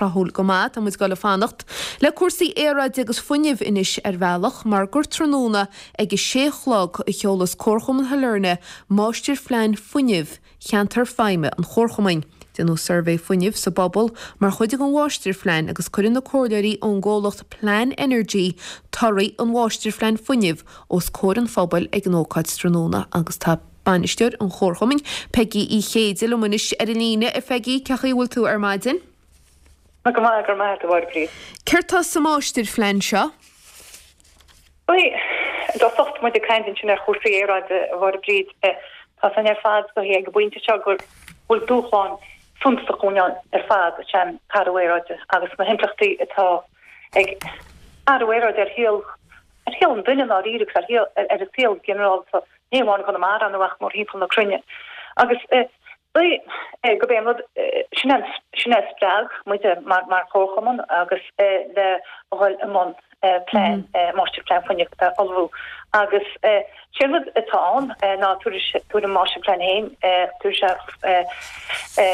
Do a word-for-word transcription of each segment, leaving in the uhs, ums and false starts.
tráthúil go maith. Tá muid ag dul a fanacht le cúrsaí aeráide agus fuinnimh anois ar bhealach mar gur tráthnóna ag a sé a chlog a sheolas Comharchumann Shailearna máistirphlean fuinnimh cheantar feidhme an Chomharchumainn. Déanadh suirbhé fuinnimh sa bpobal mar chuid den mháistirphlean agus cuireann na comhairleoirí ón gcomhlacht Plan Energy torthaí an mháistirphlean fuinnimh os comhair an phobail ag an ócáid tráthnóna agus tá bainisteoir an Chomharchumainn, Peigí Uí Chéide liom anois ar an líne. A Pheigí, cén chaoi a bhfuil tú ar maidin? Go maith, go maith, a Mháire Bríd. Céard tá sa máistirphlean seo? Bhuel, i dtosach tá muid ag caint ansin ar chúrsaí aeráide, a Mháire Bríd. Tá a fhios againn ar fad is dóichí ag an bpointe seo go bhfuil dúshlán suntasach dhúinn ar fad, is é an t-athrú aeráide agus na himpleachtaí atá ag athrú aeráide ar shaol ar shaol an duine i ndáiríre agus ar shaol ar an saol ginearálta, ní amháin i gConamara nó ach mórthimpeall na cruinne. Agus dóigh gurb é an rud sin é sin é a spreag muide mar mar chomharchumann agus le dhul i mbun plean máistirphlean fuinnimh a ullmhú. Agus sé an rud atá ann ná tabharfaidh an máistirphlean féin, tabharfaidh sé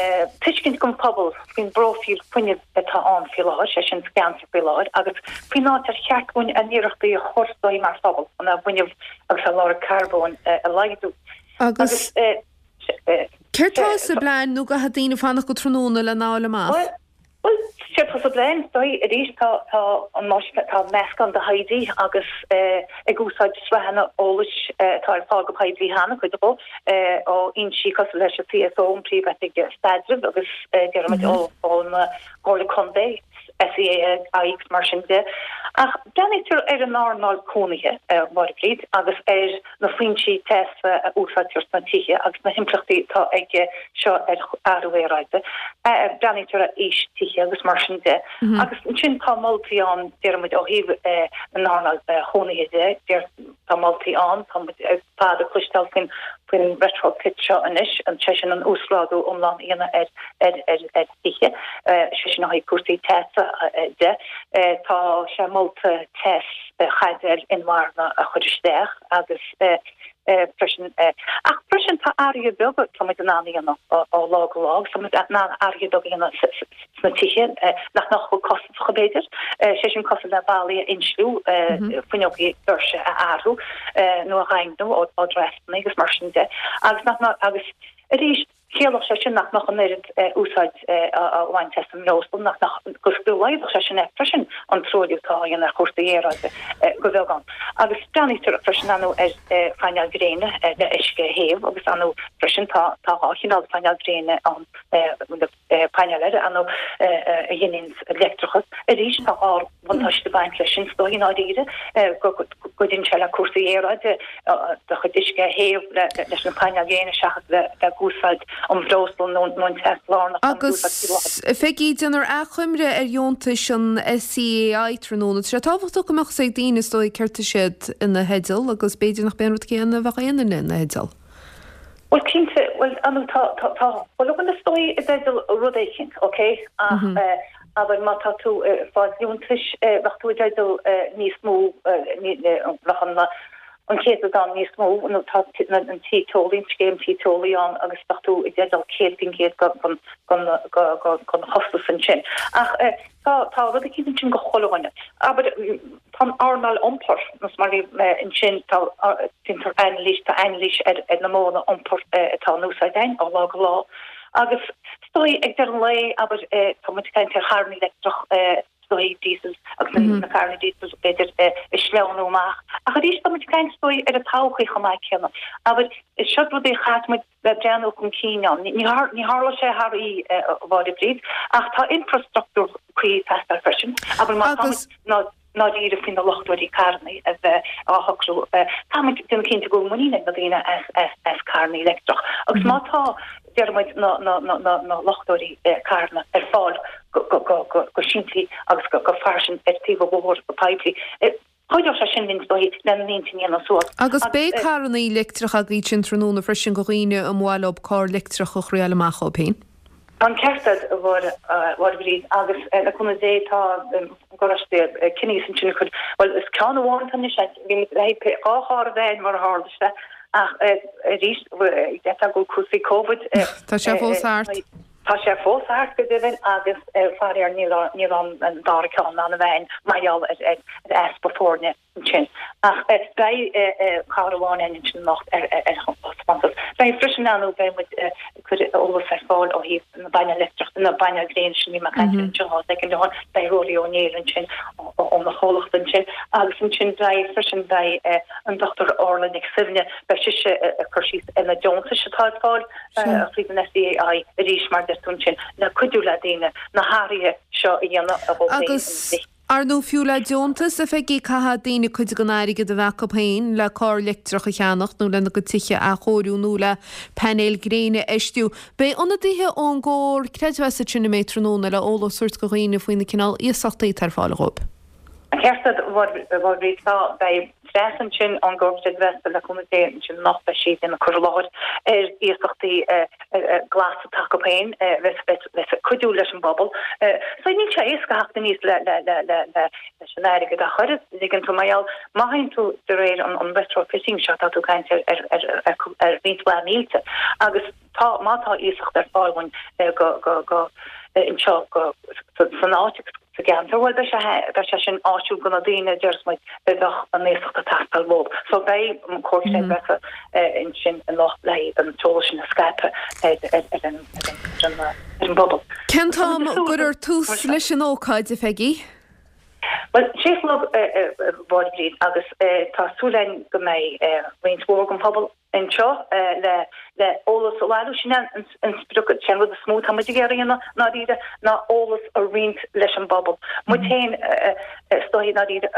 tuiscint don phobal faoin bpróifíl fuinnimh atá ann faoi láthair, sé sin sa gceantar faoi láthair, agus faoin áit ar cheart dúinn ár n-iarrachtaí a chur is dóigh mar phobal chun ár bhfuinneamh agus ár lorg carbóin a laghdú. Agus céard tá sa bplean nó caithfidh daoine fanacht go tráthnóna lena fháil amach? Bhuel, séard atá sa bplean, is dóigh, arís, tá, tá an máistir, tá meascán de thaighde agus ag úsáid sraitheanna eolais atá ar fáil go poiblí cheana, cuid dhó, ó fhoinsí cosúil leis an CSO, an Príomh-Oifig Staidrimh, agus déarfaimid ó, ón gComhairle Contae, SEAI agus mar sin de. Ach breathnaítear ar an earnáil cónaithe, a Mháire Bríd, agus ar na foinsí teasa a úsáidtear sna tithe agus na himpleachtaí atá aige seo ar athrú aeráide. Breathnaítear ar aois tithe agus mar sin de. Agus ansin tá moltaí ann, déarfaimid, ó thaobh an earnáil chónaithe de, tá moltaí ann, tá muid ar fad ag cloisteáil faoin faoin retrofit seo anois, sé sin an uasghrádú iomlán a dhéanamh ar ar ar ar thithe, sé sin ó thaobh cúrsaí teasa de. Tá sé molta teas chaidéil inmharthana a chur isteach agus freisin ach freisin tá athruithe beaga tá muid in ann a dhéanamh ó lá go lá agus tá muid in ann athruithe beaga a dhéanamh sna tithe nach mbeadh chomh costasach b'fhéidir, sé sin cosúil le ballaí a insliú, fuinneogaí doirse a athrú nó a dhaingniú ó draftanna agus mar sin de agus nach mbeadh agus arís chiallódh sé sin nach mbeadh an oiread úsáid á bhaint as an mbreosla, nach mbeadh, go go laghdódh sé sin freisin an truailliú atá á dhéanamh ar chúrsaí aeráide go bheagán. Agus breathnaítear freisin ar ndóigh ar phainéil ghréine le uisce a théamh agus ar ndóigh freisin tá tá dhá chineál painéil gréine ann, painéil eile ar ndóigh a ghineann leictreachas. Arís tá dhá bhuntáiste ag baint leis sin is dóigh i ndáiríre, go gcuidíonn sé le cúrsaí aeráide, do chuid uisce a théamh leis na painéil ghréine seachas bheith ag úsáid an bhreosla nó an teas lárnach a Agus, a Pheigí, déanfar achoimre ar dheontais an SEAI tráthnóna. Tá sé tábhachtach go mbeadh fhios ag daoine is dóigh céard tá siad ina theideal agus b'fhéidir nach b'é an rud céanna a bheadh aon duine ina theideal. Bhuel, cinnte, bhuel, ar ndóigh, tá, tá, tá chuile dhuine is dóigh i dteideal rud éicint, ok? Ach, abair, má tá tú ag fáil liúntais, bheadh tú i dteideal níos mó, bheadh an, an céatadán níos mó, nó tá an tí teolaí, an scéim tí teolaí ann agus bheadh tú i dteideal céad faoin gcéad den, den, den chostas ansin. Ach, Tá, tá rud eicínt ansin go chuile dhuine. Abair, tá an earnáil iompair, nós mar bhí mé ansin, tá, déantar anailís, tá anailís ar, ar na modhanna iompair atá in úsáid againn ó lá go lá. Agus is dóigh, ag deireadh an lae, abair, tá muid ag caint ar charranna leictreach, is dóigh, diesel agus na carranna diesel, b'fhéidir, ag sleamhnú amach. Ach arís, tá muid ag caint, is dóigh, ar an todhchaí chomh maith céanna. Abair, seo rudaí a chaithfidh muid bheith breathnú chun cinn ann. Ní tharlóidh sé thar oíche, a Mháire Bríd, ach tá infreastruchtúr cuí ag teastáil freisin. Abair má tá muid ndáiríre faoi na luchtóirí carranna a bheith á shocrú, caithfidh muid déanamh cinnte go bhfuil muinín ag na daoine as carranna leictreach. Agus má tá, déarfaidh muid, na luchtóirí carranna ar fáil go simplí agus go fairsing ar taobh an bhóthair go poiblí, Chuideodh sé sin linn is dóigh lenár n-intinn a dhéanamh suas. Agus beidh carrannaí leictreacha agaibh ansin tráthnóna freisin go dhaoine a mba mhaith leo carr leictreach a thriáil amach dhóibh féin. Tá an ceart agat, a Mháire Bhríd, agus le cúnamh Dé tá an garáiste Kinney's ansin ag cur, bhuel is ceann amháin atá anois, bhí muid le haghaidh dhá charr a bheith ann mar a tharla sé ach arís, d'fhéadfadh go bhfuil cúrsaí Covid Tá sé fós thart. Tá sé fós thart go deimhin agus faraor níl níl an dara ceann ann a bheith mar gheall ar ar easpa foirne ansin. Ach beidh carr amháin ann ansin anocht ar ar thaispeántas. Beidh freisin ann beidh muid ag cur eolas ar fáil ó thaobh na bpainéal leictreach na bpainéal gréine sin bhí mé ag caint air anseo dhá soicind ó shin. Beidh Ruairí Ó Néill ansin óna chomhlacht ansin agus ansin beidh freisin beidh an Dochtúir Orla Nic Suibhne beidh sise ag cur síos ar na deontais atá ar fáil tríd an SEAI arís mar deir tú ansin le cuidiú le daoine na hathruithe seo a dhéanamh a dhó Agus ar ndóigh fiú le deontas a Pheigí caithfidh daoine cuid den airgead a bheith acu féin le carr leictreach a cheannacht nó lena gcuid tithe a athchóiriú nó le painéil gréine a fheistiú. Beidh ionadaithe ón gComhar Creidmheasa ansin an mbeidh tráthnóna le eolas a thabhairt do dhaoine faoi na cineál iasachtaí atá ar fáil dhóibh. An ceart agat a Mháire Bhríd tá beidh Treasa ansin ón gComhar Creidmheasa le cúnamh Dé ansin anocht beidh sí ag déanamh cur i láthair ar iasachtaí glas atá acu féin le cuidiú leis an bpobal. So níl sé éasca theacht aníos le le le le le leis an airgead a chur ligean tú mar gheall má théann tú de réir an an retrofitting seo tá tú ag caint ar ar ar ar ar roinnt mhaith mílte agus tá má tá iasacht ar fáil dhúinn go go go anseo go san áit agus sa gceantar bhuel beidh sé beidh sé sin áisiúil do na daoine a déarfas muid a bheadh an iasacht ag teastáil uathu. So beidh an Comhar Creidmheasa ansin anocht le an t-eolas sin a scaipeadh ar ar ar an ar an ar an bpobal. Cén t-am a gcuirfear tús leis an ócáid, a Pheigí? Bhuel, sé a chlog, a Mháire Bhríd, agus tá súil againn go mbeidh roinnt mhór den phobal anseo le le eolas a bhailiú. Sin an sprioc, sin an rud is mó atá muid ag iarraidh a dhéanamh, i ndáiríre, ná eolas a roinnt leis an bpobal. Muid féin, is dóigh, i ndáiríre,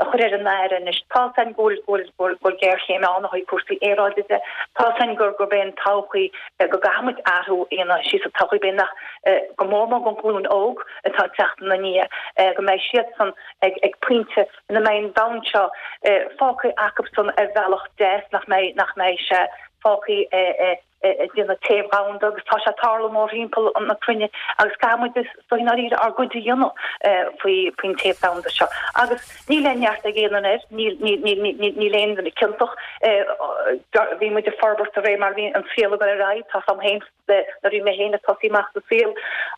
a chur ar an aire anois. Tá 's againn go bhfuil go bhfuil géarchéim ann ó thaobh cúrsaí aeráide de. Tá 's againn gur gurb é an todhchaí go gcaithfidh muid athrú a dhéanamh síos sa todhchaí b'fhéidir nach go mór mór don ghlúin óg atá ag teacht ina ndiaidh go mbeidh siadsan ag ag pointe ina mbeidh an domhan seo fágtha acusan ar bhealach deas nach mbeidh nach mbeidh sé fágtha ag déanamh téamh domhanda agus tá sé ag tarlú mórthimpeall na cruinne agus caithfidh muid is dóigh i ndáiríre ár gcuid a dhéanamh faoi faoin téamh domhanda seo agus níl aon neart ag aon duine air, níl níl níl níl níl aon duine ciontach. Bhí muid ag forbairt de réir mar a bhí an saol ag dul ar aghaidh, tá 's agam féin nuair a bhí mé féin ag tosaí amach sa saol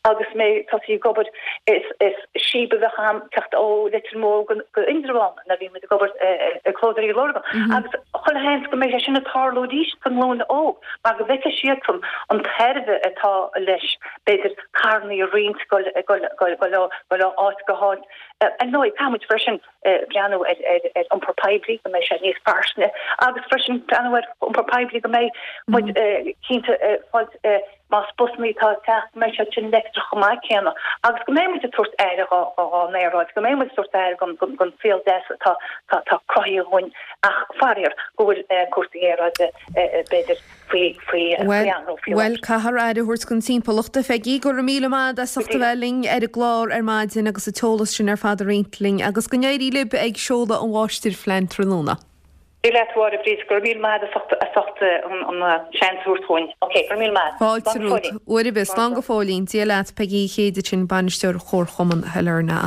agus mé ag tosaí ag obair is is síob a bheadh a'm teacht ó Leitir Móir go go Indreabhán nuair a bhí muid ag obair ag Clódóirí Lurgan agus chuile sheans go mbeidh sé sin ag tarlú arís don nglúin óg mar go bhfeicfidh siadsan an tairbhe atá leis b'fhéidir carrannaí a roinnt go go go go go áit go háit. Ar ndóigh caithfidh muid freisin breathnú ar ar iompar poiblí go mbeidh sé níos fairsinge agus freisin breathnú ar iompar poiblí go mbeidh muid cinnte fáilt más busannaí atá ag teacht go mbeidh siad sin leictreach chomh maith céanna agus go mbeidh muid ag tabhairt aire dhon aeráid, go mbeidh muid ag tabhairt aire don saol deas atá atá cruthaithe dhúinn ach faraor go bhfuil cúrsaí aeráide b'fhéidir faoi faoi Bhuel, anró faoi bhuel, láthair. caithfear aire a thabhairt don timpeallacht, a Pheigí. Go raibh míle maith agat as ucht a bheith linn ar an gclár ar maidin agus an t-eolas sin ar fad a roinnt linn agus go n-éirí libh ag seoladh an mháistirphlean tráthnóna. Dia leat, a Mháire Bhríd, go raibh míle maith agat as ucht as ucht an an seans a thabhairt dhúinn. Ok, go raibh míle maith. Fáilte Slán go romhat. fóillín. Uair ar bith. Slán Slán go fóillín. Dia leat, Peigí Uí Chéide sin, Bainisteoir Chomharchumann Shailearna.